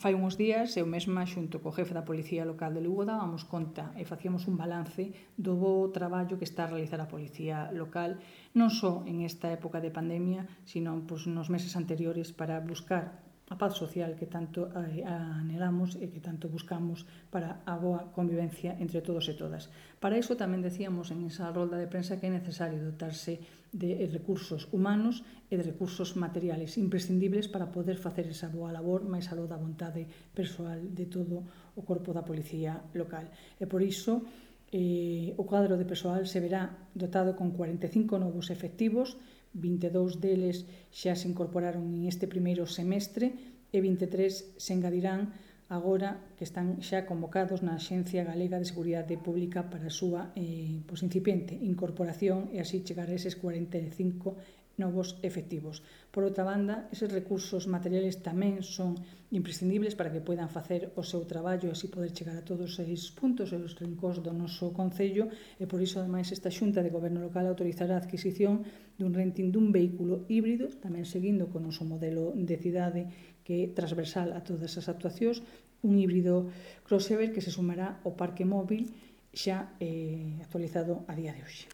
Fai uns días, eu mesma, xunto co jefe da Policía Local de Lugo, dábamos conta e facíamos un balance do bo traballo que está a realizar a Policía Local, non só en esta época de pandemia, sino nos meses anteriores, para buscar a paz social que tanto anhelamos e que tanto buscamos para a boa convivencia entre todos e todas. Para iso tamén decíamos en esa rolda de prensa que é necesario dotarse de recursos humanos e de recursos materiales imprescindibles para poder facer esa boa labor máis aló da vontade persoal de todo o corpo da Policía Local. E por iso o cuadro de persoal se verá dotado con 45 novos efectivos, 22 deles xa se incorporaron en este primeiro semestre e 23 se engadirán agora que están xa convocados na Axencia Galega de Seguridade Pública para a súa incipiente incorporación e así chegar a eses 45 novos efectivos. Por outra banda, eses recursos materiales tamén son imprescindibles para que poidan facer o seu traballo e así poder chegar a todos os puntos e os rincóns do noso Concello e por iso, ademais, esta Xunta de Goberno Local autorizará a adquisición dun renting dun vehículo híbrido, tamén seguindo con o noso modelo de cidade que é transversal a todas as actuacións, un híbrido crossover que se sumará ao parque móvil xa actualizado a día de hoxe.